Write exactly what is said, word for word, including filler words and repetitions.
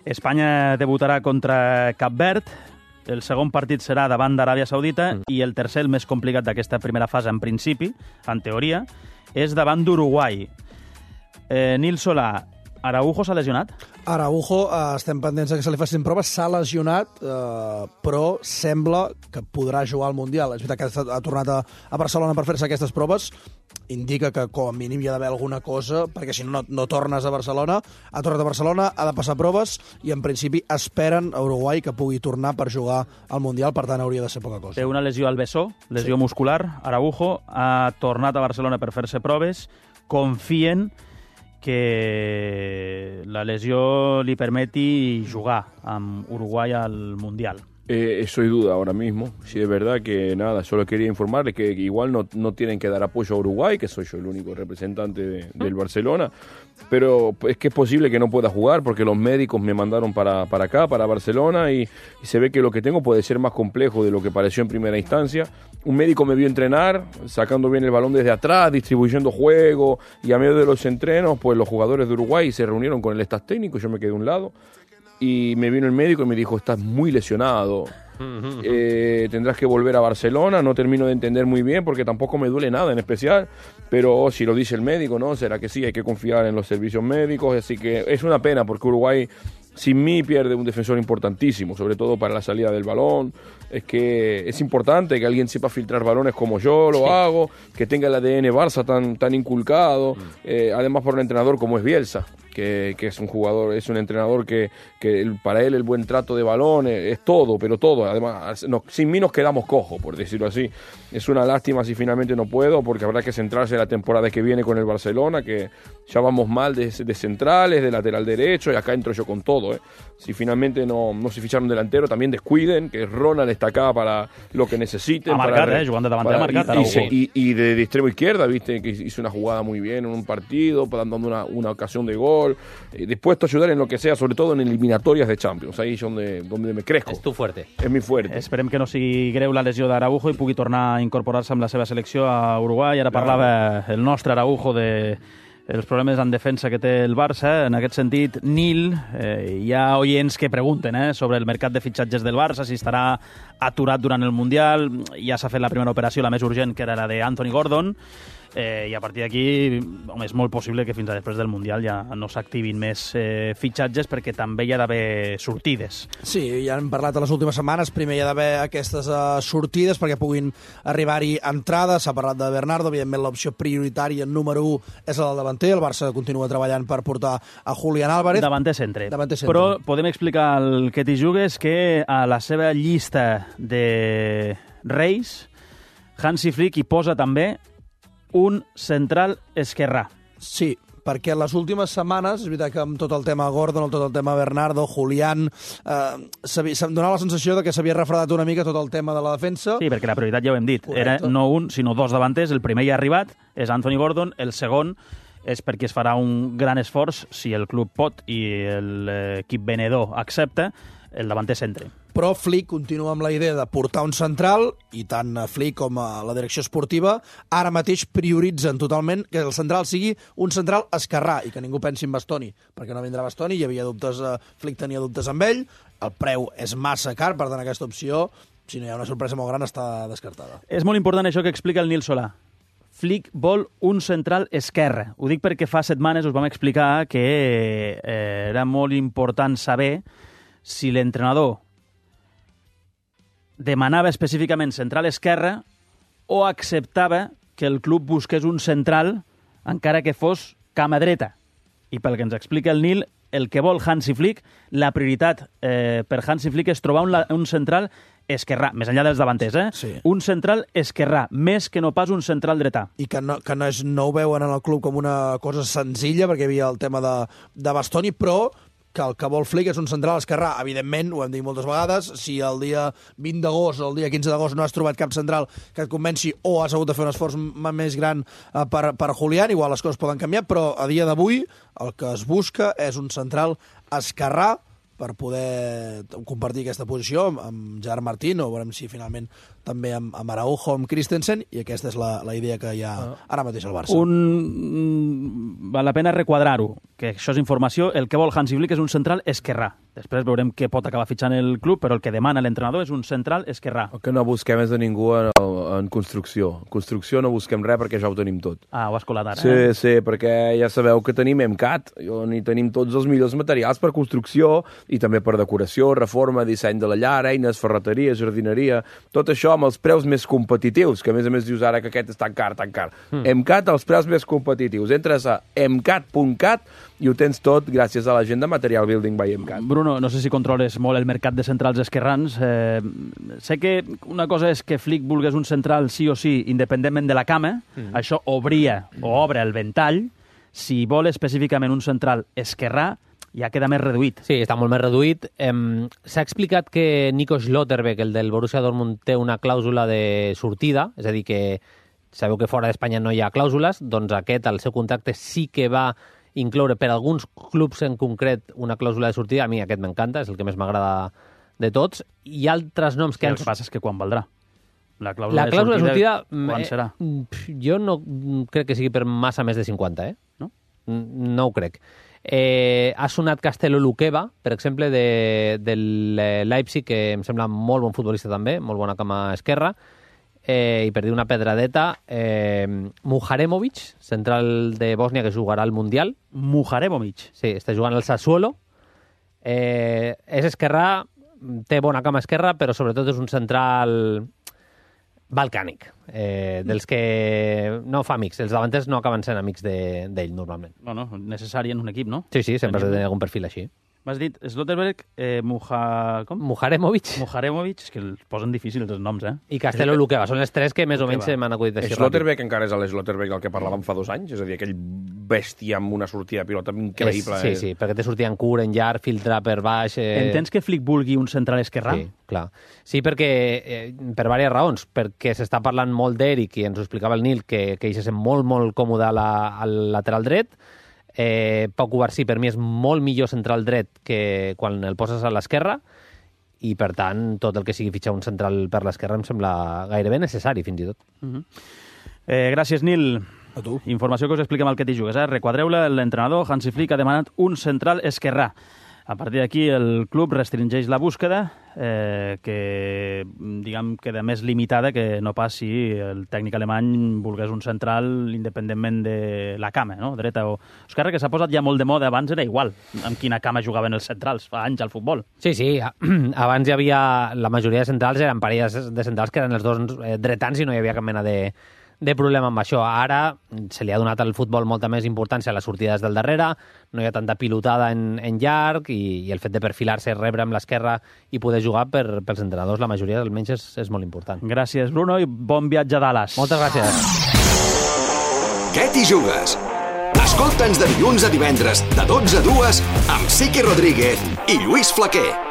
Espanya debutarà contra Cap Verd, el segon partit serà davant d'Aràbia Saudita mm. i el tercer, el més complicat d'aquesta primera fase, en principi, en teoria, és davant d'Uruguai. Eh, Nil Solà, Araujo s'ha lesionat? Araujo, eh, estem pendents que se li facin proves, s'ha lesionat, eh, però sembla que podrà jugar al Mundial. És veritat que ha tornat a, a Barcelona per fer-se aquestes proves, indica que com a mínim hi ha d'haver alguna cosa, perquè si no, no tornes a Barcelona. Ha tornat a Barcelona, ha de passar proves, i en principi esperen a Uruguai que pugui tornar per jugar al Mundial, per tant hauria de ser poca cosa. Té una lesió al bessó, lesió sí. muscular. Araujo ha tornat a Barcelona per fer-se proves, confien que la lesió li permeti jugar amb Uruguay al Mundial. Eh, eso hay duda ahora mismo. Sí, es verdad que nada, solo quería informarles que igual no, no tienen que dar apoyo a Uruguay, que soy yo el único representante de, del Barcelona, pero es que es posible que no pueda jugar porque los médicos me mandaron para, para acá, para Barcelona, y, y se ve que lo que tengo puede ser más complejo de lo que pareció en primera instancia. Un médico me vio entrenar, sacando bien el balón desde atrás, distribuyendo juego, y a medio de los entrenos, pues los jugadores de Uruguay se reunieron con el staff técnico, yo me quedé a un lado, y me vino el médico y me dijo, estás muy lesionado, eh, tendrás que volver a Barcelona. No termino de entender muy bien porque tampoco me duele nada en especial, pero si lo dice el médico, ¿no? Será que sí, hay que confiar en los servicios médicos, así que es una pena porque Uruguay sin mí pierde un defensor importantísimo, sobre todo para la salida del balón. Es que es importante que alguien sepa filtrar balones como yo lo sí. hago, que tenga el A D N Barça tan, tan inculcado, mm. eh, además por un entrenador como es Bielsa, que, que es un jugador, es un entrenador que, que el, para él el buen trato de balón es, es todo, pero todo. Además, no, sin mí nos quedamos cojos, por decirlo así. Es una lástima si finalmente no puedo, porque habrá que centrarse la temporada que viene con el Barcelona, que ya vamos mal de, de centrales, de lateral derecho, y acá entro yo con todo. ¿eh? Si finalmente no, no se ficharon delantero, también descuiden, que Ronald está acá para lo que necesiten. Ha marcat, para, eh, jugant de davanter, ha marcat. Y, y, y, y de, de extremo izquierda, viste, que hizo una jugada muy bien en un partido, dando una, una ocasión de gol. Eh, dispuesto a ayudar en lo que sea, sobre todo en eliminatorias de Champions. Ahí es donde, donde me crezco. És tu fuerte. És mi fuerte. Esperem que no sigui greu la lesió d'Araujo i pugui tornar a incorporar-se amb la seva selecció a Uruguai. Ara parlava el nostre Araujo de els problemes en defensa que té el Barça. En aquest sentit, Nil, eh, hi ha oients que pregunten eh, sobre el mercat de fitxatges del Barça, si estarà aturat durant el Mundial. Ja s'ha fet la primera operació, la més urgent, que era la d'Anthony Gordon. Eh, I a partir d'aquí, home, és molt possible que fins a després del Mundial ja no s'activin més eh, fitxatges, perquè també hi ha d'haver sortides. Sí, ja hem parlat a les últimes setmanes. Primer hi ha d'haver aquestes uh, sortides perquè puguin arribar-hi entrades. S'ha parlat de Bernardo, evidentment l'opció prioritària número u és la del davanter. El Barça continua treballant per portar a Julián Álvarez. Davanter centre. Davanter centre. Però podem explicar al que t'hi jugues que a la seva llista de reis, Hansi Flick hi posa també un central esquerrà. Sí, perquè en les últimes setmanes, és veritat que amb tot el tema Gordon, tot el tema Bernardo, Julián, eh, se'm donava la sensació de que s'havia refredat una mica tot el tema de la defensa. Sí, perquè la prioritat ja ho hem dit. Correcte. Era no un, sinó dos davanters. El primer ja ha arribat, és Anthony Gordon. El segon és perquè es farà un gran esforç, si el club pot i l'equip venedor accepta, el davanter centre. Però Flick continua amb la idea de portar un central, i tant Flick com la direcció esportiva ara mateix prioritzen totalment que el central sigui un central esquerrà i que ningú pensi en Bastoni, perquè no vindrà Bastoni, hi havia dubtes, Flick tenia dubtes amb ell, el preu és massa car, per tant aquesta opció, si no hi ha una sorpresa molt gran, està descartada. És molt important això que explica el Nil Solà. Flick vol un central esquerre. Ho dic perquè fa setmanes us vam explicar que eh, era molt important saber si l'entrenador demanava específicament central esquerre o acceptava que el club busqués un central encara que fos cama dreta. I pel que ens explica el Nil, el que vol Hansi Flick, la prioritat eh, per Hansi Flick és trobar un, un central esquerrà, més enllà dels davanters, eh? Sí. Un central esquerrà, més que no pas un central dretà. I que no, que no, és, no ho veuen en el club com una cosa senzilla, perquè hi havia el tema de, de Bastoni, però que el que vol Flick és un central esquerrà. Evidentment, ho hem dit moltes vegades, si el dia vint d'agost o el dia quinze d'agost no has trobat cap central que et convenci o has hagut de fer un esforç més gran per, per Julián, igual les coses poden canviar, però a dia d'avui el que es busca és un central esquerrà per poder compartir aquesta posició amb Gerard Martín, o veurem si finalment també amb, amb Araujo, amb Christensen, i aquesta és la, la idea que hi ha ara mateix al Barça. Un... Val la pena requadrar-ho, que això és informació. El que vol Hansi Flick és un central esquerrà. Després veurem què pot acabar fitxant el club, però el que demana l'entrenador és un central esquerrà. El que no busquem és de ningú en, en construcció. En construcció no busquem res perquè ja ho tenim tot. Ah, ho has colat ara. Sí, eh? sí, perquè ja sabeu que tenim EMCAT, on hi tenim tots els millors materials per construcció i també per decoració, reforma, disseny de la llar, eines, ferreteria, jardineria, tot això amb els preus més competitius, que a més a més dius ara que aquest és tan car, tan car. Mm. EMCAT, els preus més competitius. Entres a emcat punt cat i ho tens tot gràcies a la gent de Material Building by EMCAT. Bruno, no sé si controles molt el mercat de centrals esquerrans. Eh, sé que una cosa és que Flick vulgués un central sí o sí, independentment de la cama. Mm. Això obria o obre el ventall. Si vol específicament un central esquerrà, ja queda més reduït. Sí, està molt més reduït. Eh, S'ha explicat que Nico Schlotterbeck, el del Borussia Dortmund, té una clàusula de sortida, és a dir, que sabeu que fora d'Espanya no hi ha clàusules, doncs aquest, el seu contracte, sí que va incloure per alguns clubs en concret una clàusula de sortida. A mi aquest m'encanta, és el que més m'agrada de tots. Hi ha altres noms que... El que passa és que quan valdrà? La clàusula, la clàusula de sortida, de sortida quan serà? Eh, jo no crec que sigui per massa més de cinquanta, eh? No? No ho crec. Eh, ha sonat Castello Luqueva, per exemple, de, del Leipzig, que em sembla molt bon futbolista també, molt bona cama esquerra, eh, i per dir una pedradeta, eh, Muharemovic, central de Bòsnia, que jugarà al Mundial. Muharemovic? Sí, està jugant al Sassuolo. Eh, és esquerrà, té bona cama esquerra, però sobretot és un central balcànic, eh, dels que no fa amics. Els davanters no acaben sent amics d'ell, de, normalment. Bueno, necessari en un equip, no? Sí, sí, sempre has de tenir algun perfil així. M'has dit Schlotterbeck, eh, Muja... com? Muharemovic. Muharemovic, és que els posen difícils els noms, eh? I Castello Luqueva, són les tres que més o menys m'han acudit així. Schlotterbeck encara és l'Schlotterbeck del que parlàvem fa dos anys, és a dir, aquell bèstia amb una sortida de pilota increïble. És, sí, sí, perquè té sortida en curt, en llarg, filtrar per baix... Eh... Entens que Flick vulgui un central esquerrà? Sí, clar. Sí, perquè, eh, per diverses raons, perquè s'està parlant molt d'Eric, i ens ho explicava el Nil, que, que ell se sent molt, molt còmode a la, al lateral dret. Eh, Pau Cubarsí per mi és molt millor central dret que quan el poses a l'esquerra, i per tant tot el que sigui fitxar un central per l'esquerra em sembla gairebé necessari fins i tot. Uh-huh. eh, Gràcies, Nil. A tu. Informació que us expliquem al que t'hi jugues. Eh? Requadreu-la, l'entrenador Hansi Flick ha demanat un central esquerrà. A partir d'aquí el club restringeix la búsqueda, eh, que diguem queda més limitada que no pas si el tècnic alemany volgués un central independentment de la cama, no? Dreta o esquerra, que s'ha posat ja molt de moda. Abans era igual amb quina cama jugaven els centrals, fa anys al futbol. Sí, sí, abans hi havia, la majoria de centrals eren parelles de centrals que eren els dos dretans i no hi havia cap mena de de problema amb això. Ara se li ha donat al futbol molta més importància a les sortides del darrere, no hi ha tanta pilotada en, en llarg, i, i el fet de perfilar-se, rebre amb l'esquerra i poder jugar per, pels entrenadors, la majoria almenys és, és molt important. Gràcies, Bruno, i bon viatge a Dallas. Moltes gràcies. Què t'hi jugues? Escolta'ns de dilluns a divendres, de dotze a dues, amb Siqui Rodríguez i Lluís Flaquer.